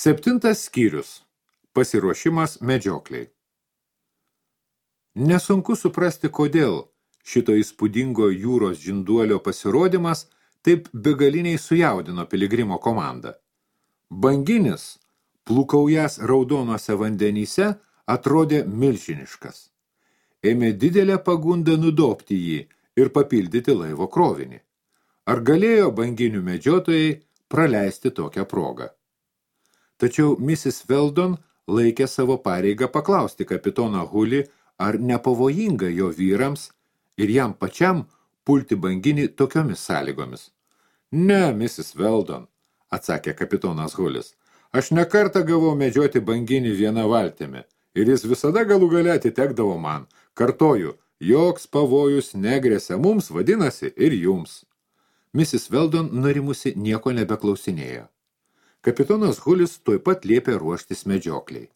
7 skyrius. Pasiruošimas medžiokliai. Nesunku suprasti, kodėl šito įspūdingo jūros žinduolio pasirodymas taip begaliniai sujaudino piligrimo komandą. Banginis, plukaujas raudonuose vandenyse, atrodė milžiniškas. Ėmė didelę pagundą nudobti jį ir papildyti laivo krovinį. Ar galėjo banginių medžiotojai praleisti tokią progą? Tačiau Mrs. Weldon laikė savo pareigą paklausti kapitoną Hulį, ar nepavojinga jo vyrams ir jam pačiam pulti banginį tokiomis sąlygomis. Ne, Mrs. Weldon, atsakė kapitonas Hulis, aš nekartą gavau medžioti banginį vieną valtimi ir jis visada galų gale atitekdavo man. Kartoju, joks pavojus negresia mums, vadinasi, ir jums. Mrs. Weldon nurimusi nieko nebeklausinėjo. Kapitonas Hulis tuoj pat liepė ruoštis medžiokliai.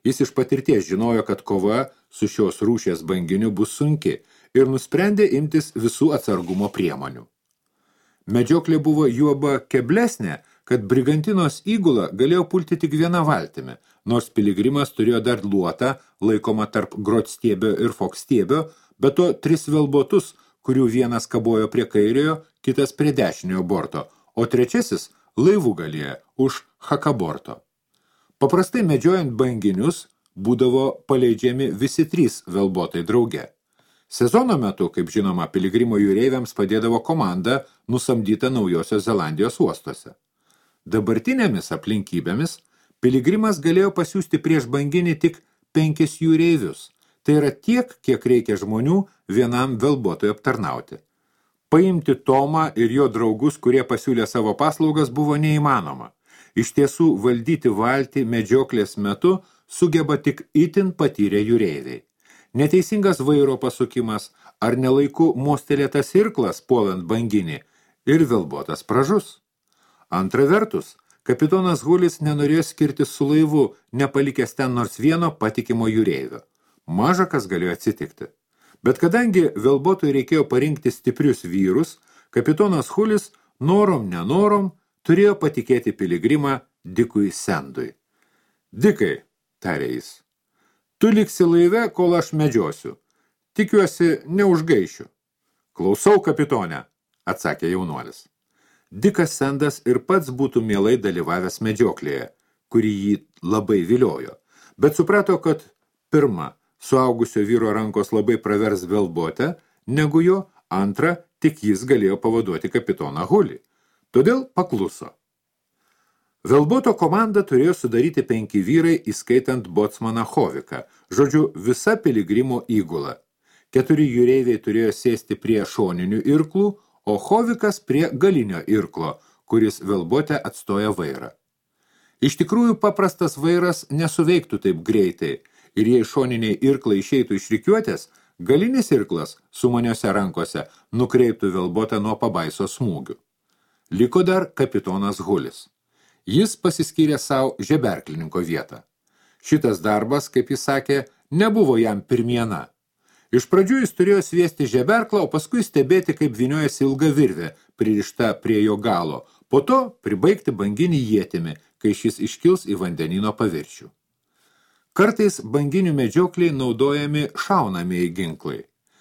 Jis iš patirties žinojo, kad kova su šios rūšies banginiu bus sunki ir nusprendė imtis visų atsargumo priemonių. Medžioklė buvo juoba keblesnė, kad brigantinos įgula galėjo pulti tik vieną valtimi, nors piligrimas turėjo dar luotą, laikomą tarp grotstiebio ir fokstiebio, bet to 3 velbotus, kurių vienas kabojo prie kairiojo, kitas prie dešiniojo borto, o trečiasis laivų galėje už hakaborto. Paprastai medžiojant banginius būdavo paleidžiami visi 3 velbotai drauge. Sezono metu, kaip žinoma, piligrimo jūreiviams padėdavo komanda nusamdyta Naujosios Zelandijos uostuose. Dabartinėmis aplinkybėmis piligrimas galėjo pasiųsti prieš banginį tik 5 jūreivius. Tai yra tiek, kiek reikia žmonių vienam velbotui aptarnauti. Paimti Tomą ir jo draugus, kurie pasiūlė savo paslaugas, buvo neįmanoma. Iš tiesų, valdyti valtį medžioklės metu sugeba tik itin patyrę jūreiviai. Neteisingas vairo pasukimas ar nelaiku mostelėtas irklas puolant banginį ir velbotas pražus. Antra vertus, kapitonas Hulis nenorėjo skirtis su laivu, nepalikęs ten nors vieno patikimo jūreivio. Maža kas galėjo atsitikti. Bet kadangi velbotui reikėjo parinkti stiprius vyrus, kapitonas Hulis norom nenorom turėjo patikėti piligrimą Dikui Sendui. Dikai, tarė jis, tu liksi laive, kol aš medžiosiu. Tikiuosi, neužgaišiu. Klausau, kapitone, atsakė jaunuolis. Dikas Sendas ir pats būtų mielai dalyvavęs medžioklėje, kuri jį labai viliojo, bet suprato, kad pirma, suaugusio vyro rankos labai pravers velbotę, negu jo, antra, tik jis galėjo pavaduoti kapitoną Hulį. Todėl pakluso. Velboto komandą turėjo sudaryti 5 vyrai, įskaitant botsmaną Hoviką, žodžiu, visa piligrimo įgula. 4 jūreiviai turėjo sėsti prie šoninių irklų, o Hovikas prie galinio irklo, kuris velbote atstoja vairą. Iš tikrųjų, paprastas vairas nesuveiktų taip greitai, ir jei šoniniai irklai išeitų iš rikiuotės, galinis irklas su maniose rankose nukreiptų velbotą nuo pabaiso smūgių. Liko dar kapitonas Hulis. Jis pasiskyrė savo žeberklininko vietą. Šitas darbas, kaip jis sakė, nebuvo jam pirmiena. Iš pradžių jis turėjo sviesti žeberklą, o paskui stebėti, kaip vyniojasi ilga virvė, pririšta prie jo galo, po to pribaigti banginį ietimi, kai šis iškils į vandenino paviršių. Kartais banginių medžiokliai naudojami šaunamieji ginklai.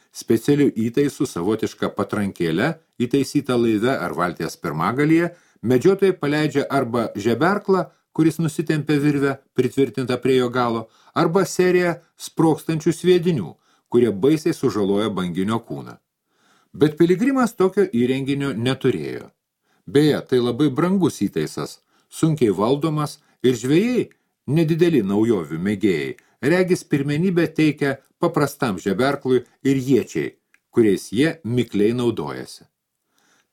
Specialių įtaisų savotišką patrankėlę, įtaisytą laive ar valties pirmagalyje, medžiotojai paleidžia arba žeberklą, kuris nusitempia virvę, pritvirtinta prie jo galo, arba seriją sprogstančių sviedinių, kurie baisiai sužaloja banginio kūną. Bet piligrimas tokio įrenginio neturėjo. Beje, tai labai brangus įtaisas, sunkiai valdomas ir žvejai, nedideli naujovių mėgėjai, regis pirmenybę teikia paprastam žeberklui ir iečiai, kuriais jie mikliai naudojasi.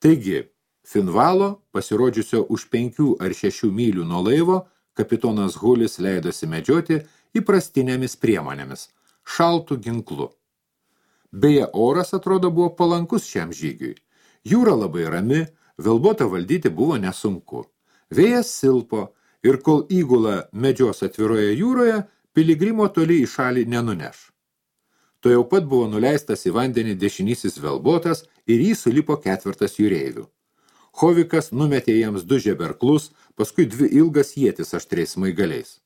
Taigi, Finvalo, pasirodžiusio už 5 ar 6 mylių nuo laivo, kapitonas Hulis leidosi medžioti įprastinėmis priemonėmis, šaltų ginklu. Beje, oras atrodo buvo palankus šiam žygiui. Jūra labai rami, velbotą valdyti buvo nesunku. Vėjas silpo, ir kol įgula medžios atviroje jūroje, piligrimo toli į šalį nenuneš. To jau pat buvo nuleistas į vandenį dešinysis velbotas ir jį sulipo 4 jūreivių. Hovikas numetė jiems 2 žeberklus, paskui 2 ilgas ietis aštriais smaigaliais.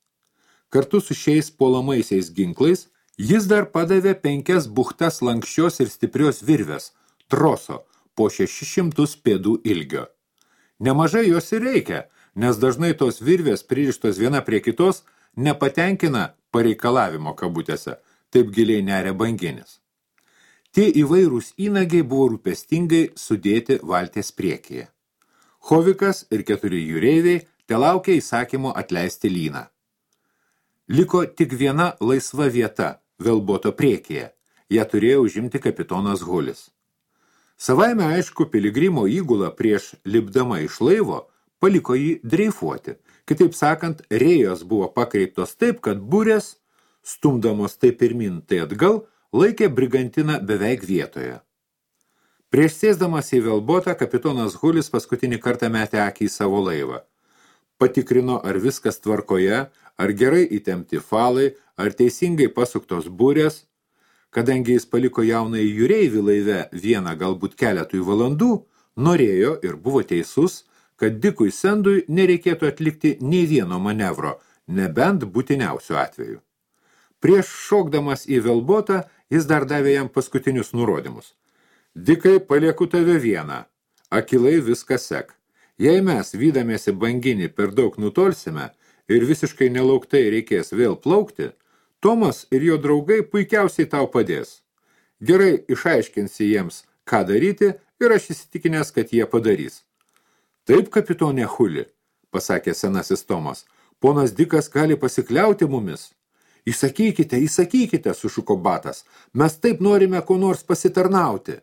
Kartu su šiais puolamaisiais ginklais jis dar padavė 5 buchtas lankščios ir stiprios virvės, troso, po 600 pėdų ilgio. Nemažai jos ir reikia, nes dažnai tos virvės pririštos viena prie kitos nepatenkina pareikalavimo kabutėse, taip giliai neria banginis. Tie įvairūs įnagiai buvo rūpestingai sudėti valties priekyje. Hovikas ir 4 jūreiviai telaukė įsakymo atleisti lyną. Liko tik viena laisva vieta velboto priekyje. Ją turėjo užimti kapitonas Hulis. Savaime aišku, piligrimo įgula prieš lipdama iš laivo paliko jį dreifuoti. Kitaip sakant, rėjos buvo pakreiptos taip, kad burės, stumdamos tai pirmin, tai atgal, laikė brigantiną beveik vietoje. Prieš sėsdamas į velbotą, kapitonas Hulis paskutinį kartą metė akį į savo laivą. Patikrino, ar viskas tvarkoje, ar gerai įtempti falai, ar teisingai pasuktos burės. Kadangi jis paliko jaunąjį jūreivį laive vieną galbūt keletui valandų, norėjo ir buvo teisus, kad Dikui Sendui nereikėtų atlikti nei vieno manevro, nebent būtiniausiu atveju. Prieš šokdamas į velbotą, jis dar davė jam paskutinius nurodymus. Dikai, palieku tave vieną, akilai viską sek. Jei mes, vydamiesi banginį, per daug nutolsime ir visiškai nelauktai reikės vėl plaukti, Tomas ir jo draugai puikiausiai tau padės. Gerai išaiškinsi jiems, ką daryti, ir aš įsitikinęs, kad jie padarys. Taip, kapitonė Huli, pasakė senasis Tomas, ponas Dikas gali pasikliauti mumis. Įsakykite, sušuko Batas, mes taip norime ko nors pasitarnauti.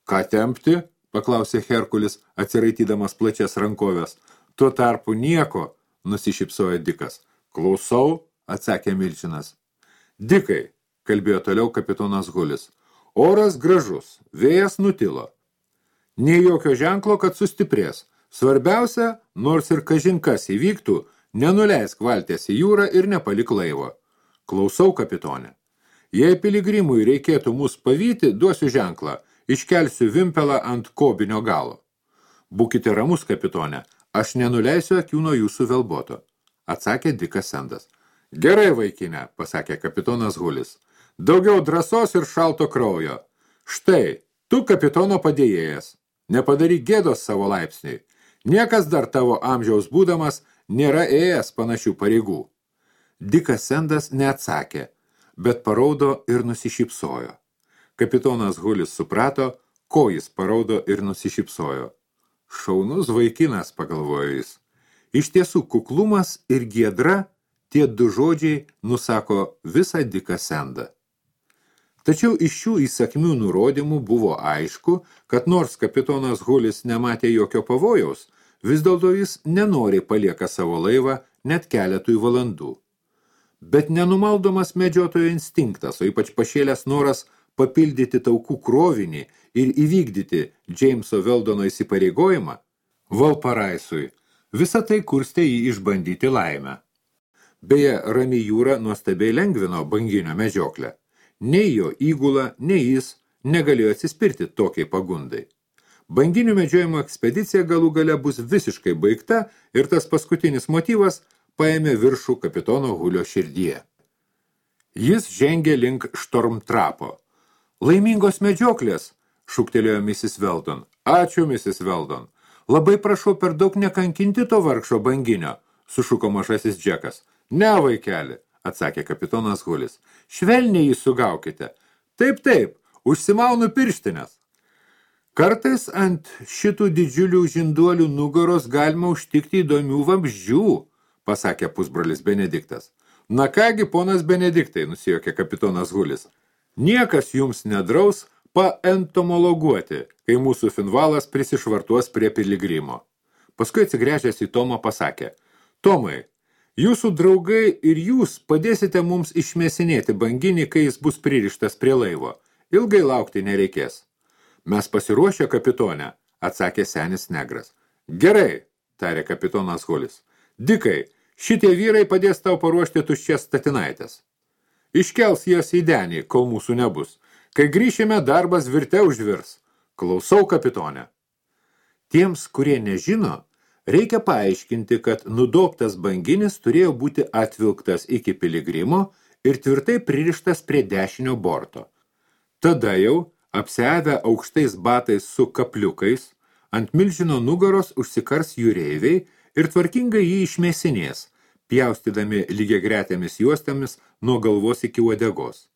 Ką tempti? Paklausė Herkulis, atsiraitydamas plačias rankovės. Tuo tarpu nieko, nusišypsojo Dikas. Klausau, atsakė Milčinas. Dikai, kalbėjo toliau kapitonas Hulis. Oras gražus, vėjas nutilo. Nei jokio ženklo, kad sustiprės. Svarbiausia, nors ir kažinkas įvyktų, nenuleisk valties į jūrą ir nepalik laivo. Klausau, kapitonė. Jei piligrimui reikėtų mus pavyti, duosiu ženklą. Iškelsiu vimpelą ant kobinio galo. Būkite ramus, kapitonė, aš nenuleisiu akių nuo jūsų velboto, atsakė Dikas Sendas. Gerai, vaikinė, pasakė kapitonas Hulis. Daugiau drąsos ir šalto kraujo. Štai, tu kapitono padėjėjas. Nepadaryk gėdos savo laipsniui. Niekas dar tavo amžiaus būdamas nėra ėjęs panašių pareigų. Dikas Sendas neatsakė, bet paraudo ir nusišypsojo. Kapitonas Hulis suprato, ko jis paraudo ir nusišypsojo. Šaunus vaikinas, pagalvojo jis. Iš tiesų, kuklumas ir giedra, tie 2 žodžiai nusako visą Diką Sendą. Tačiau iš šių įsakmių nurodymų buvo aišku, kad nors kapitonas Hulis nematė jokio pavojaus, vis dėlto jis nenoriai palieka savo laivą net keletui valandų. Bet nenumaldomas medžiotojo instinktas, o ypač pašėlęs noras papildyti taukų krovinį ir įvykdyti Džeimso Veldono įsipareigojimą, Valparaisui, visą tai kurstė jį išbandyti laimę. Beje, rami jūra nuostabiai lengvino banginio medžioklę. Nei jo įgula, nei jis negalėjo atsispirti tokiai pagundai. Banginių medžiojimo ekspedicija galų gale bus visiškai baigta ir tas paskutinis motyvas paėmė viršų kapitono Hulio širdyje. Jis žengė link Štormtrapo. Laimingos medžioklės, šūktelėjo Mrs. Weldon. Ačiū, Mrs. Weldon. Labai prašau per daug nekankinti to vargšo banginio, sušuko mažasis Džekas. Ne, vaikeli, atsakė kapitonas Hulis. Švelniai jį sugaukite. Taip, užsimaunu pirštinės. Kartais ant šitų didžiulių žinduolių nugaros galima užtikti įdomių vabzdžių, pasakė pusbrolis Benediktas. Na kągi, ponas Benediktai, nusijuokė kapitonas Hulis. Niekas jums nedraus paentomologuoti, kai mūsų finvalas prisišvartuos prie piligrimo. Paskui atsigręžęs į Tomą pasakė. Tomai, jūsų draugai ir jūs padėsite mums išmėsinėti banginį, kai jis bus pririštas prie laivo. Ilgai laukti nereikės. Mes pasiruošę, kapitonę, atsakė senis negras. Gerai, tarė kapitonas Hulis. Dikai, šitie vyrai padės tau paruošti tuščias statinaitės. Iškels jas į denį, kol mūsų nebus. Kai grįšime, darbas virte užvirs. Klausau, kapitonė. Tiems, kurie nežino, reikia paaiškinti, kad nudobtas banginis turėjo būti atvilktas iki piligrimo ir tvirtai pririštas prie dešinio borto. Tada jau, apsiavę aukštais batais su kapliukais, ant milžino nugaros užsikars jūreiviai ir tvarkingai jį išmėsinės, pjaustydami lygiagretėmis juostomis nuo galvos iki uodegos.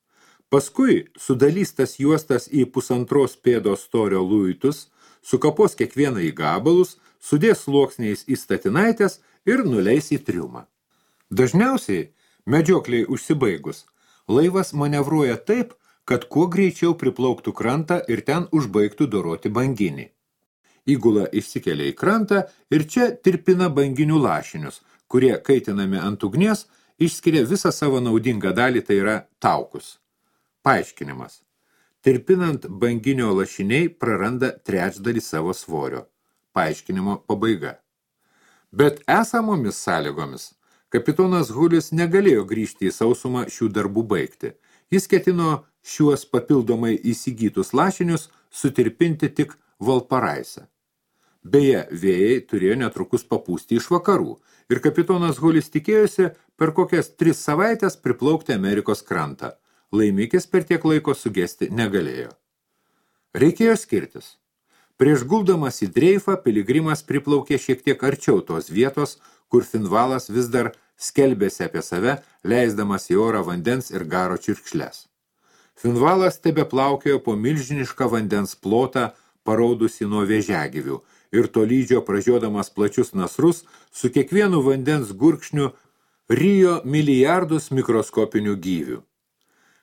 Paskui sudalys tas juostas į 1,5 pėdos storio luitus, sukapos kiekvieną į gabalus, sudės sluoksniais į statinaitės ir nuleis į triumą. Dažniausiai, medžiokliai užsibaigus, laivas manevruoja taip, kad kuo greičiau priplauktų krantą ir ten užbaigtų doroti banginį. Įgula išsikelia į krantą ir čia tirpina banginių lašinius, kurie, kaitinami ant ugnies, išskiria visą savo naudingą dalį, tai yra taukus. Paaiškinimas. Tirpinant banginio lašiniai praranda trečdalį savo svorio. Paaiškinimo pabaiga. Bet esamomis sąlygomis kapitonas Hulis negalėjo grįžti į sausumą šių darbų baigti. Jis ketino šiuos papildomai įsigytus lašinius sutirpinti tik Valparaise. Beje, vėjai turėjo netrukus papūsti iš vakarų ir kapitonas Hulis tikėjosi per kokias 3 savaitės priplaukti Amerikos krantą. Laimikis per tiek laiko sugesti negalėjo. Reikėjo skirtis. Prieš guldamas į dreifą piligrimas priplaukė šiek tiek arčiau tos vietos, kur Finvalas vis dar skelbėsi apie save, leisdamas į orą vandens ir garo čirkšles. Finvalas tebeplaukėjo po milžinišką vandens plotą, paraudusi nuo vėžiagyvių, ir tolydžio pražiodamas plačius nasrus, su kiekvienu vandens gurkšniu rijo milijardus mikroskopinių gyvių.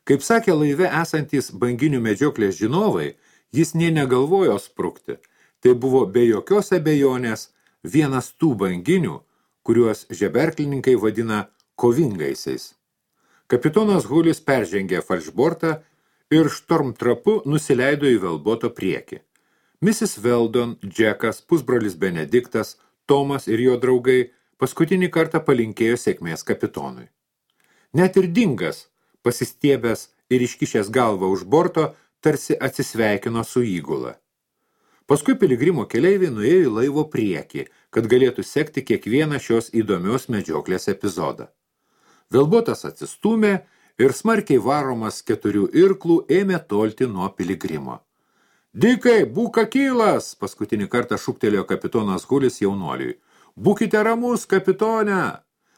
Kaip sakė laive esantys banginių medžioklės žinovai, jis nė negalvojo sprukti. Tai buvo be jokios abejonės vienas tų banginių, kuriuos žeberklininkai vadina kovingaisiais. Kapitonas Hulis peržengė falšbortą ir štormtrapu nusileido į velboto priekį. Mrs. Weldon, Džekas, pusbrolis Benediktas, Tomas ir jo draugai paskutinį kartą palinkėjo sėkmės kapitonui. Net ir Dingas, pasistiebęs ir iškišęs galvą už borto, tarsi atsisveikino su įgula. Paskui piligrimo keleiviai nuėjo į laivo priekį, kad galėtų sekti kiekvieną šios įdomios medžioklės epizodą. Velbotas atsistūmė ir smarkiai varomas 4 irklų ėmė tolti nuo piligrimo. Dikai, būk akylas, paskutinį kartą šūktelėjo kapitonas Hulis jaunuoliui. Būkite ramus, kapitone!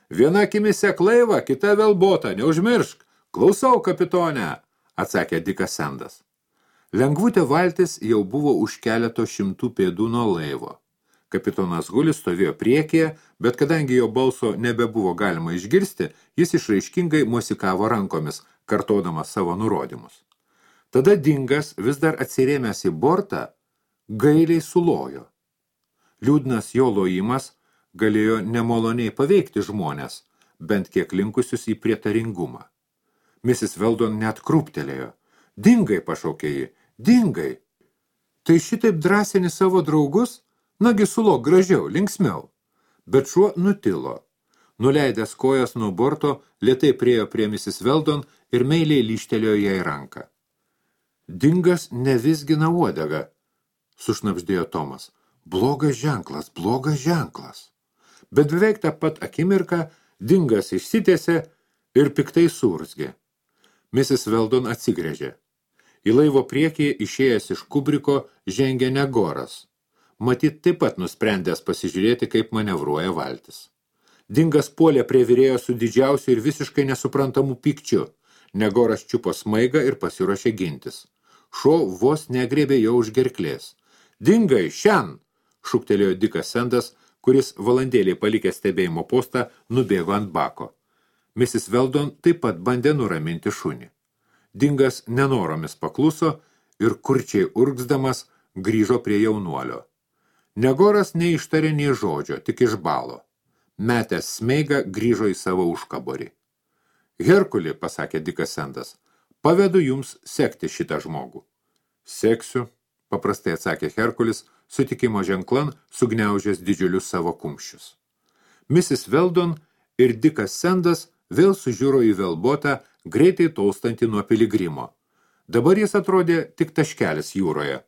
Viena akimi sek laivą, kita velbota, neužmiršk. Klausau, kapitone, atsakė Dikas Sendas. Lengvutė valtis jau buvo už keleto 100 pėdų nuo laivo. Kapitonas Hulis stovėjo priekyje, bet kadangi jo balso nebebuvo galima išgirsti, jis išraiškingai mosikavo rankomis, kartodamas savo nurodymus. Tada Dingas, vis dar atsirėmęs į bortą, gailiai sulojo. Liūdnas jo lojimas galėjo nemaloniai paveikti žmonės, bent kiek linkusius į prietaringumą. Mrs. Weldon net krūptelėjo. Dingai, pašaukė ji, Dingai. Tai šitaip drąsini savo draugus? Nagi sulok gražiau, linksmiau. Bet šuo nutilo. Nuleidęs kojas nuo borto, lėtai priėjo prie Mrs. Weldon ir meiliai lyštelėjo jai ranką. Dingas nevizgina uodegą, sušnabždėjo Tomas. Blogas ženklas. Bet beveik tą pat akimirką Dingas išsitiesė ir piktai suurzgė. Mrs. Weldon atsigręžė. Į laivo priekį išėjęs iš kubriko žengė Negoras. Matyt, taip pat nusprendęs pasižiūrėti, kaip manevruoja valtis. Dingas puolė prie virėjo su didžiausiu ir visiškai nesuprantamu pykčiu. Negoras čiupo smaigą ir pasiruošė gintis. Šuo vos negriebė jo už gerklės. Dingai, šen! Šūktelėjo Dikas Sendas, kuris valandėlį palikęs stebėjimo postą nubėgo ant bako. Mrs. Weldon taip pat bandė nuraminti šunį. Dingas nenoromis pakluso ir kurčiai urgzdamas grįžo prie jaunuolio. Negoras neištarė nė žodžio, tik išbalo. Metęs smeigą grįžo į savo užkaborį. Herkuli, pasakė Dikas Sendas, pavedu jums sekti šitą žmogų. Seksiu, paprastai atsakė Herkulis, sutikimo ženklan sugniaužęs didžiulius savo kumščius. Mrs. Weldon ir Dikas Sendas vėl sužiūro į velbotą, greitai tolstantį nuo piligrimo. Dabar jis atrodė tik taškelis jūroje.